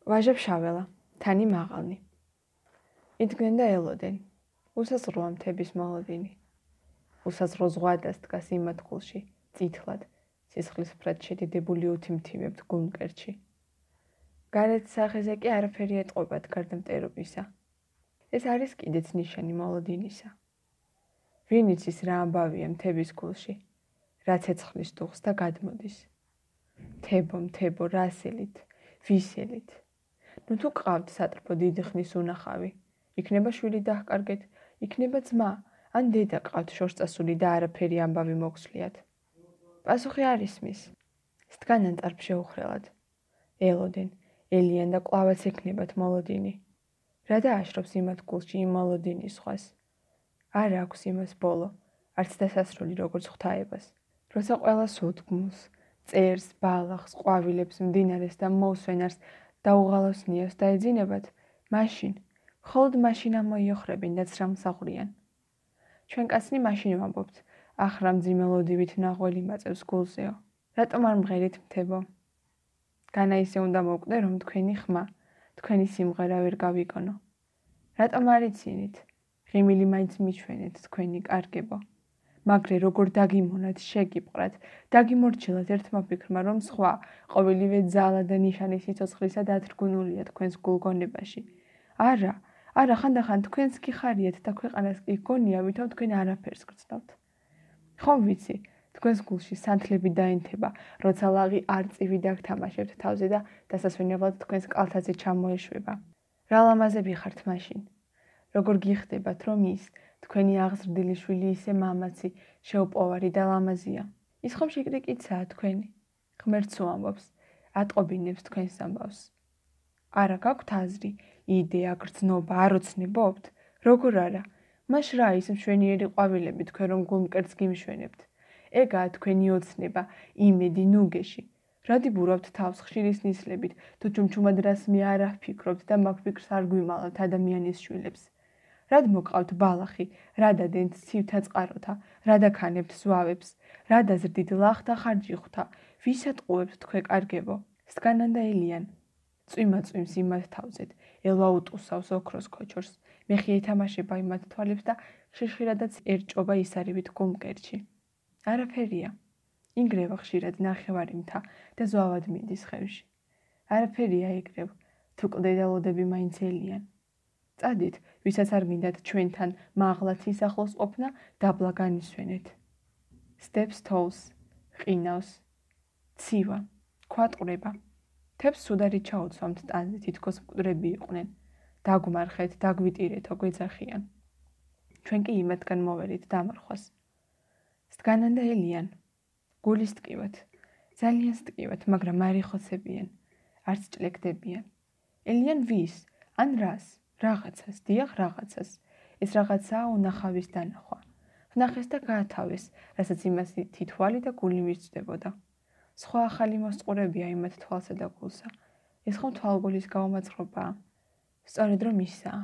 ვაჟებ-შაველა, თანი მაღალნი. იდგნენ და ელოდნენ. უსაზღვროა მთების მოლოდინი. უსაზღრო ზღვადას დგას იმათქულში, წითლად, სისხლისფრად შედიდებული უთიმთიმებთ გულმკერდში. გარეთ სახეზე კი არაფერი ეტყობათ გარდა მტერობისა. ეს არის კიდეც ნიშანი მოლოდინისა. ვინ იცის რა ამბავია მთების გულში, რა ცეცხლის დუხს და გადმოდის. მთებო, რასელით, ვისელით. ნუ თუ ყავთ სატრფო დიდი ხნის უნახავი, იქნება შვილი დაჰკარგეთ, იქნება ძმა, ან დედა ყავთ შორსწასული და არაფერი ამბავი მოგსვლიათ. პასუხი არ ისმის. სდგანან წარფ შეუხრელად. ელოდნენ, ელიან და კვლავაც ექნებათ მოლოდინი. რა დააშრობს იმათ გულში იმ მოლოდინის სხვას? არ აქვს იმას ბოლო, არც დასასრული როგორც ღვთაებას. როცა ყველას უთქმულს, წერს, ბალახს, ყვავილებს, მდინარეს და მოუსვენარს დაუღალოს ნიოს დაეძინებათ, მაშინ, მხოლოდ მაშინ ამოიოხრებინ და ცრამსაღვრიან. ჩვენ კაცნი მაშინ ვამბობთ, ახრა მძიმელოდივით ნაღველი მაწევს გულზეო. რატომ არ მღერით მთებო? განა ისე უნდა მოვკვდე, რომ თქვენი ხმა, თქვენი სიმღერა ვერ გავიგონო. რატომ არ იცინით? ღიმილი მაინც მიჩვენეთ თქვენი კარგებო. მაგრე როგორ დაგიმონათ, შეგიპყრათ, დაგიმორჩილათ ერთმა ფიქრმა, რომ სხვა, ყოველივე ძალა და ნიშანი სიცოცხლისა დათრგუნულია თქვენს გულგონებაში. არა, ხანდახან თქვენს კი ხარიათ და ქვეყანას კი გონია, ვითომ თქვენ არაფერს გრძნობთ. ხომ ვიცი, თქვენს გულში სანთლები დაინთება, როცა ლაღი არწივი დაგთამაშებთ თავზე და დასასვენებლად თქვენს კალთაზე ჩამოეშვება. რა ლამაზები ხართ მაშინ? როგორ გიხდებათ, რომ ის, თქვენი აღზრდილი შვილი ისე მამაცი, შეუპოვარი და ლამაზია. ის ხომ შეკრიკიცაა თქვენი. ღმერთს უამბობს, ატყობინებს თქვენს ამბავს. არა გაქვთ აზრი, იდეა, გრძნობა, არ ოცნებობთ? როგორ არა? მაშ რა ის მშვენიერი ყვავილები თქვენ რომ გულმკერდს გიმშვენებთ? ეგაა თქვენი ოცნება, იმედი, ნუგეში. რა დიბურავთ თავს ხშირის ნისლებით, თუ ჩუმჩუმად რას მე არ ვფიქრობთ და მაგ ფიქრს არ გვიმალავთ ადამიანის შვილებს. რად მოკყავთ ბალახი, რა დადენთ ცივთა წყაროთა, რა დაქანებთ ზვავებს, რა დაზრდით ლახთა ხარჯი ხვთა, ვისად ყუებთ თქვენ კარგებო? სდგანან და ელიან. წვიმა წვიმს იმათ თავზეთ, ელვა უტყუსავს ოქროს ქოჩორს, მეხი ეთამაშება იმათ თვალებს და ხშირადაც ერჭობა ისარივით გულმკერდში. არაფერია. ინგრევა ხშირად ნახევარი მთა და ზვავად მიდის ხევში. არაფერია იგრევ, თუ კლდედალოდები მაინც ელიან. წადით, ვისაც არ გინდათ ჩვენთან მაღლა ცისახლოს ყოფნა, დაბლა განისვენეთ. სტეპს თოვს, ყინავს, ცივა, ქვატყვრება. თებს სუდარი ჩაუცვამთ ტანზე, თითქოს მკვდრები იყვნენ. დაგმარხეთ, დაგვიტირეთო, გვეძახიან. ჩვენ კი იმათგან მოვერით დამარხვას. სდგანან და ელიან. გულის ტკივათ, ძალიან სტკივათ, მაგრამ არ იხოცებიან, არც ჭლეკდებიან. ელიან ვის, ან რას? რაღაცას, დიახ რაღაცას. ეს რაღაცაა უნახავის დანახვა. ვნახეს და გაათავეს, რასაც იმას თითვალი და გული მისწვდებოდა. სხვა ახალი მოსწყურებია იმათ თვალსა და გულსა. ეს ხომ თვალგულის გაუმაძღრობაა? სწორედ რომ ისაა.